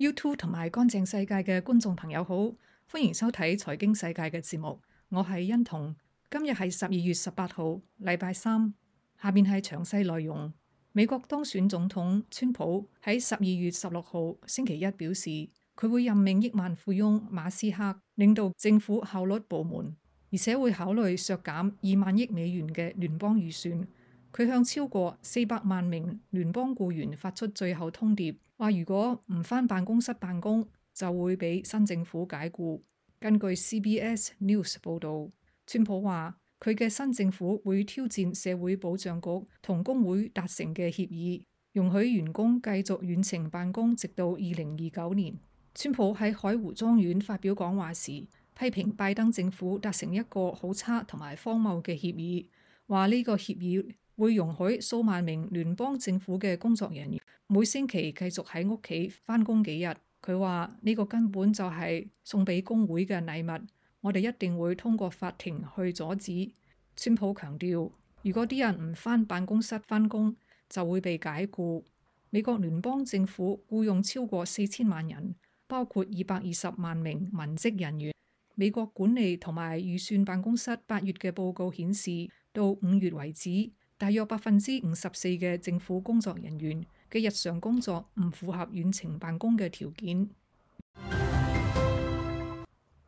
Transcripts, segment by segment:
YouTube 同埋乾淨世界嘅觀眾朋友好，歡迎收睇財經世界嘅節目。我係欣彤，今日係12月18號，禮拜三。下面係詳細內容。美國當選總統川普喺12月16號星期一表示，佢會任命億萬富翁馬斯克領導政府效率部門，而且會考慮削減2萬億美元嘅聯邦預算。佢向超過400萬名聯邦僱員發出最後通牒，話如果唔返辦公室辦公，就會俾新政府解僱。根據 CBS News 報導，川普話佢嘅新政府會挑戰社會保障局同工會達成嘅協議，容許員工繼續遠程辦公直到2029年。川普喺海湖莊園發表講話時，批評拜登政府達成一個好差同埋荒謬嘅協議，話呢個協議會容許數萬名聯邦政府嘅工作人員每星期繼續喺屋企返工幾日。佢話呢個根本就係送俾工會嘅禮物，我哋一定會通過法庭去阻止。川普強調，如果啲人唔返辦公室返工，就會被解僱。美國聯邦政府僱用超過4000萬人，包括220萬名文職人員。美國管理同埋預算辦公室8月嘅報告顯示，到5月為止，大約54%嘅政府工作人員嘅日常工作唔符合遠程辦公嘅條件。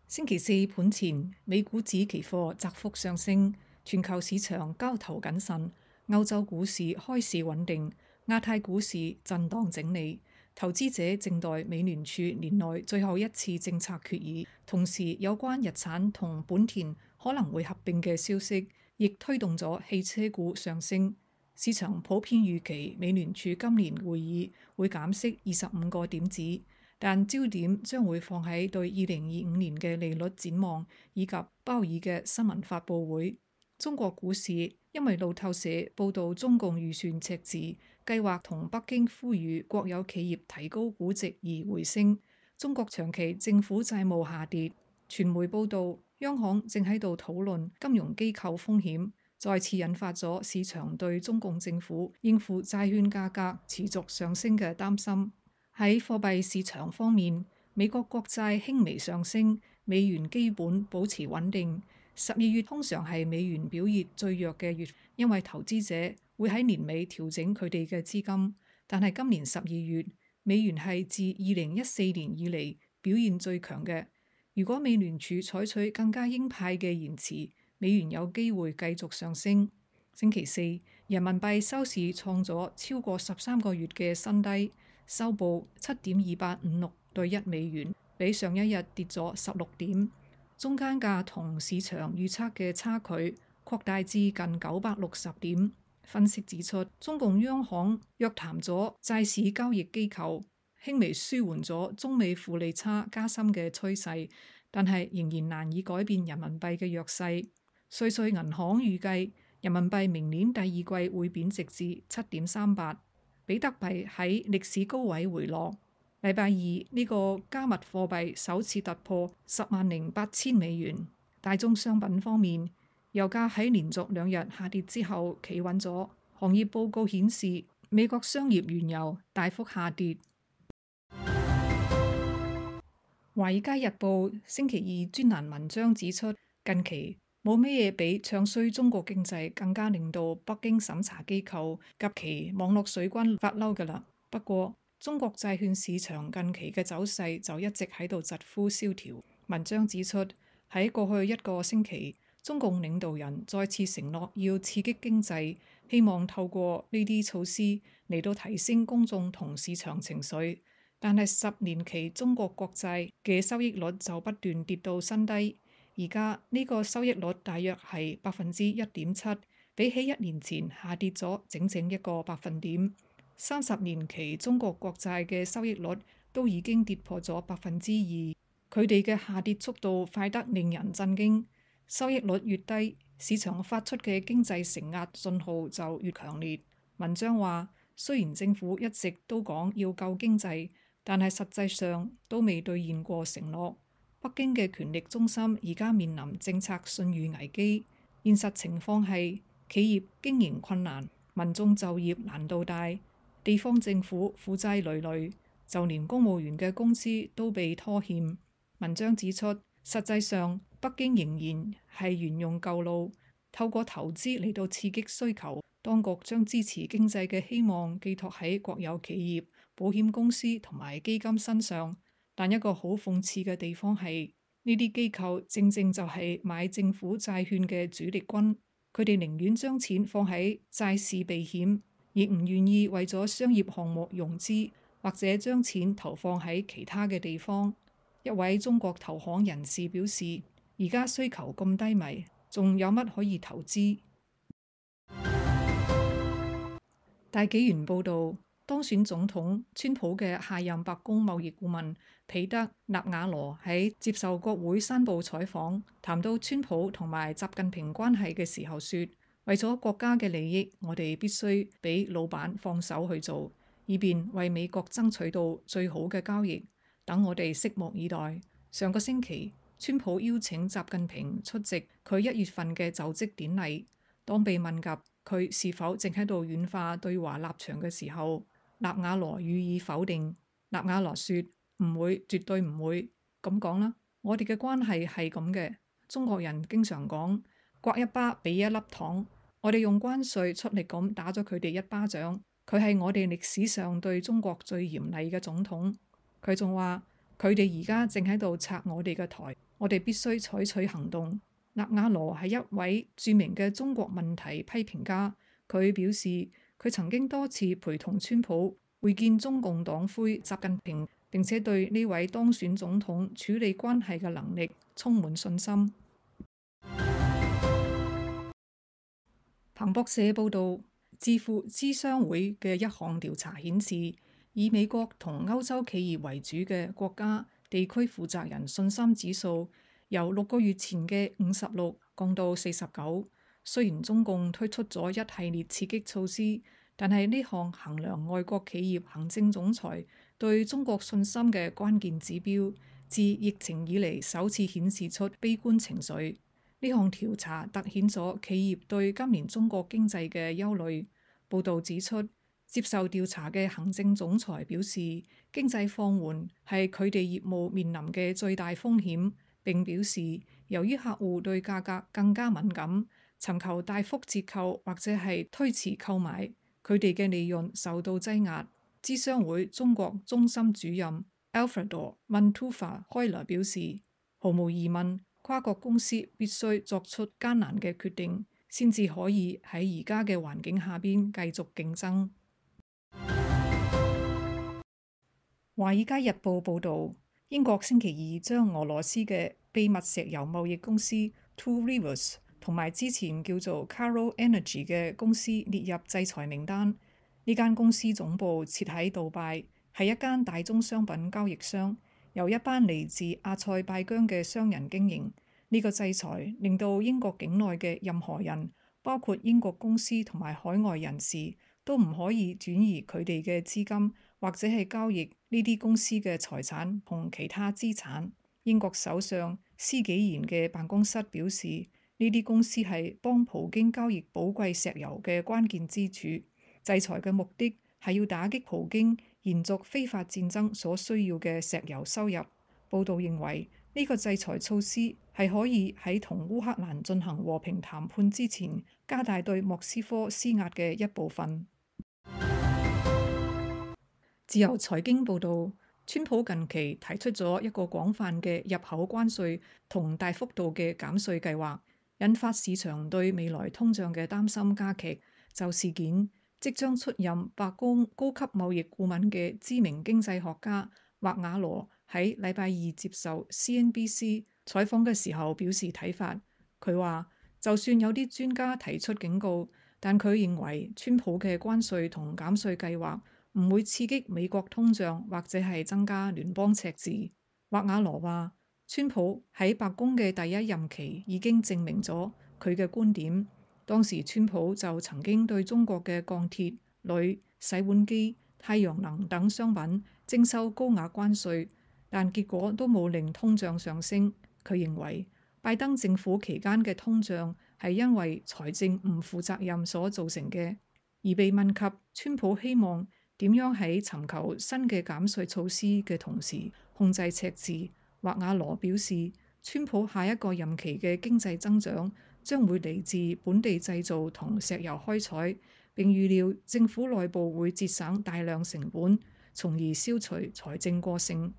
星期四盤前，美股指期貨窄幅上升，全球市場交投謹慎，歐洲股市開市穩定，亞太股市震盪整理。投資者靜待美聯儲年內最後一次政策決議，同時有關日產同本田可能會合併嘅消息，亦推動咗汽車股上升。市場普遍預期美聯儲今年會議會減息25個點子，但焦點將會放喺對2025年嘅利率展望以及鮑爾嘅新聞發佈會。中國股市因為路透社報導中共預算赤字，計劃同北京呼籲國有企業提高估值而回升。中國長期政府債務下跌，傳媒報導央行正喺度討論金融機構風險，再次引發咗市場對中共政府應付債券價格持續上升嘅擔心。喺貨幣市場方面，美國國債輕微上升，美元基本保持穩定。12月通常係美元表現最弱嘅月，因為投資者會喺年尾調整佢哋嘅資金。但係今年12月，美元係自2014年以嚟表現最強嘅。如果美聯儲採取更加鷹派嘅言辭，美元有機會繼續上升。星期四，人民幣收市創咗超過13個月嘅新低，收報7.2856對1美元，比上一日跌咗16點。中間價同市場預測嘅差距擴大至近960點。分析指出，中共央行約談咗債市交易機構，輕微舒緩咗中美負利差加深嘅趨勢，但係仍然難以改變人民幣嘅弱勢。瑞穗銀行預計人民幣明年第二季會貶值至7.38，比特幣喺歷史高位回落。禮拜二呢個加密貨幣首次突破10.8000美元。大宗商品方面，油價喺連續2日下跌之後企穩咗。行業報告顯示，美國商業原油大幅下跌。華爾街日報星期二專欄文章指出，近期冇咩嘢比唱衰中國經濟更加令到北京審查機構及其網絡水軍發嬲㗎喇。不過，中國債券市場近期嘅走勢就一直喺度疾呼蕭條。文章指出，喺過去1個星期，中共領導人再次承諾要刺激經濟，希望透過呢啲措施嚟到提升公眾同市場情緒。但係10年期中國國債嘅收益率就不斷跌到新低，而家呢個收益率大約係1.7%，比起1年前下跌咗整整1個百分點。30年期中國國債嘅收益率都已經跌破咗2%，佢哋嘅下跌速度快得令人震驚。收益率越低，市場發出嘅經濟承壓信號就越強烈。文章話，雖然政府一直都講要救經濟，但係實際上都未兌現過承諾。北京嘅權力中心而家面臨政策信譽危機，現實情況係企業經營困難，民眾就業難度大，地方政府負債累累，就連公務員嘅工資都被拖欠。文章指出，實際上北京仍然係沿用舊路，透過投資嚟到刺激需求。當局將支持經濟嘅希望寄託喺國有企業、保險公司同埋基金身上，但一個好諷刺嘅地方係，呢啲機構正正就係買政府債券嘅主力軍，佢哋寧願將錢放喺債市避險，亦唔願意為咗商業項目融資，或者將錢投放喺其他嘅地方。一位中國投行人士表示，而家需求咁低迷，仲有乜可以投資？大紀元報導，當選總統川普嘅下任白宮貿易顧問彼得納瓦羅喺接受國會山報採訪，談到川普同埋習近平關係嘅時候說，為咗國家嘅利益，我哋必須俾老闆放手去做，以便為美國爭取到最好嘅交易。等我哋拭目以待。上個星期，川普邀請習近平出席佢1月份嘅就職典禮。當被問及佢是否正喺度軟化對華立場嘅時候，納瓦羅予以否定。納瓦羅說：唔會，絕對唔會。咁講啦，我哋嘅關係係咁嘅。中國人經常講，刮一巴俾一粒糖。我哋用關稅出力咁打咗佢哋一巴掌。佢係我哋歷史上對中國最嚴厲嘅總統。佢仲話，佢哋而家正喺度拆我哋嘅台，我哋必須採取行動。納瓦羅係一位著名嘅中國問題批評家，佢表示佢曾經多次陪同川普會見中共黨魁習近平，並且對呢位當選總統處理關係嘅能力充滿信心。彭博社報導，智庫諮商會嘅一項調查顯示，以美國同歐洲企業為主嘅國家地區負責人信心指數由6個月前嘅56降到49。雖然中共推出咗一系列刺激措施，但係呢項衡量外國企業行政總裁對中國信心嘅關鍵指標，自疫情以嚟首次顯示出悲觀情緒。呢項調查凸顯咗企業對今年中國經濟嘅憂慮。報導指出，接受調查嘅行政總裁表示，經濟放緩係佢哋業務面臨嘅最大風險。並表示，由於客戶對價格更加敏感，尋求大幅折扣或者係推遲購買，佢哋嘅利潤受到擠壓。諮商會中國中心主任 Alfredo Manteuffel 開來表示，毫無疑問，跨國公司必須作出艱難嘅決定，先至可以喺而家嘅環境下邊繼續競爭。華爾街日報報導，英國星期二將俄羅斯嘅秘密石油貿易公司 Two Rivers 同埋之前叫做 Caro Energy 嘅公司列入制裁名單。呢間公司總部設喺杜拜，係一間大宗商品交易商，由一班嚟自阿塞拜疆嘅商人經營。呢個制裁令到英國境內嘅任何人，包括英國公司同埋海外人士，都唔可以轉移佢哋嘅資金，或者係交易呢啲公司嘅財產同其他資產。英國首相施紀賢嘅辦公室表示，呢啲公司係幫普京交易寶貴石油嘅關鍵支柱。制裁嘅目的係要打擊普京延續非法戰爭所需要嘅石油收入。報道認為，呢個制裁措施係可以喺同烏克蘭進行和平談判之前，加大對莫斯科施壓嘅一部分。自由財經報導，川普近期提出咗一個廣泛嘅入口關稅同大幅度嘅減稅計劃，引發市場對未來通脹嘅擔心加劇。就事件，即將出任白宮高級貿易顧問嘅知名經濟學家納瓦羅喺禮拜二接受 CNBC 採訪嘅時候表示睇法。佢話，就算有啲專家提出警告，但佢認為川普嘅關稅同減稅計劃唔會刺激美國通脹或者係增加聯邦赤字。納瓦羅話，川普喺白宮嘅第一任期已經證明咗佢嘅觀點。當時川普就曾經對中國嘅鋼鐵、鋁、洗碗機、太陽能等商品徵收高額關稅，但結果都冇令通脹上升。佢認為拜登政府期間嘅通脹係因為財政唔負責任所造成嘅。而被問及川普希望點樣喺尋求新嘅減稅措施嘅同時控制赤字。或瓦羅表示，川普下一個任期嘅經濟增長將會嚟自本地製造同石油開採，並預料政府內部會節省大量成本，從而消除財政過剩。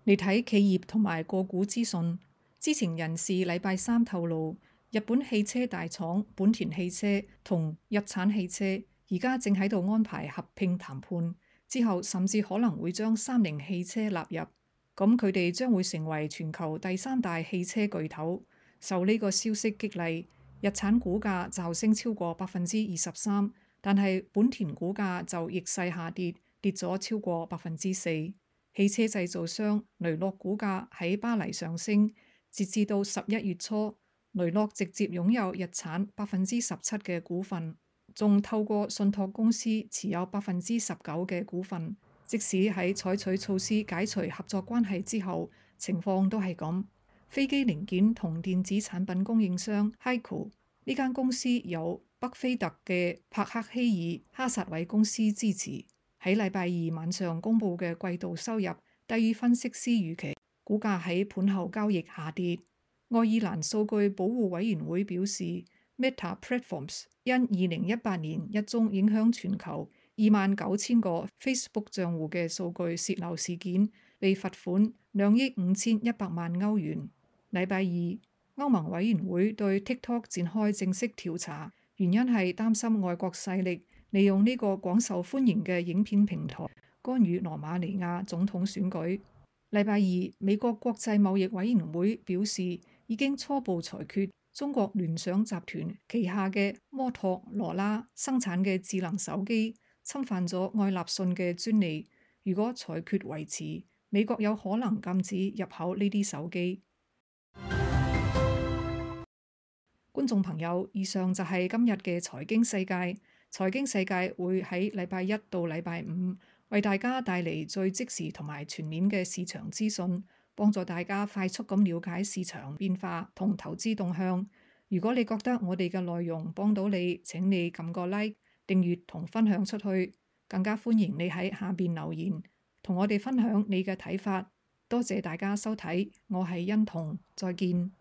嚟睇企業同埋個股資訊，知情人士禮拜三透露，日本汽車大廠本田汽車同日產汽車而家正喺度安排合併談判，之後甚至可能會將三菱汽車納入，咁佢哋將會成為全球第三大汽車巨頭。受呢個消息激勵，日產股價驟升超過23%，但係本田股價就逆勢下跌，跌咗超過4%。汽車製造商雷諾股價喺巴黎上升，截至到11月初，雷諾直接擁有日產17%嘅股份，仲透過信託公司持有19%嘅股份。即使喺採取措施解除合作關係之後，情況都係咁。飛機零件同電子產品供應商 HEICO 呢間公司由北菲特嘅帕克希爾哈薩韋公司支持。喺禮拜二晚上公佈嘅季度收入低於分析師預期，股價喺盤後交易下跌。愛爾蘭數據保護委員會表示 ，Meta Platforms 因2018年一宗影響全球29,000個 Facebook 賬戶嘅數據洩漏事件，被罰款2億5100萬歐元。禮拜二，歐盟委員會對 TikTok 展開正式調查，原因係擔心外國勢力利用呢個廣受歡迎嘅影片平台干預羅馬尼亞總統選舉。禮拜二，美國國際貿易委員會表示，已經初步裁決中國聯想集團旗下嘅摩托羅拉生產嘅智能手機侵犯咗愛立信嘅專利。如果裁決維持，美國有可能禁止入口呢啲手機。觀眾朋友，以上就係今日嘅財經世界。財經世界會喺禮拜一到禮拜五為大家帶嚟最即時同埋全面嘅市場資訊，幫助大家快速咁了解市場變化同投資動向。如果你覺得我哋嘅內容幫到你，請你撳個 like、訂閱同分享出去。更加歡迎你喺下邊留言，同我哋分享你嘅睇法。多謝大家收睇，我係欣彤，再見。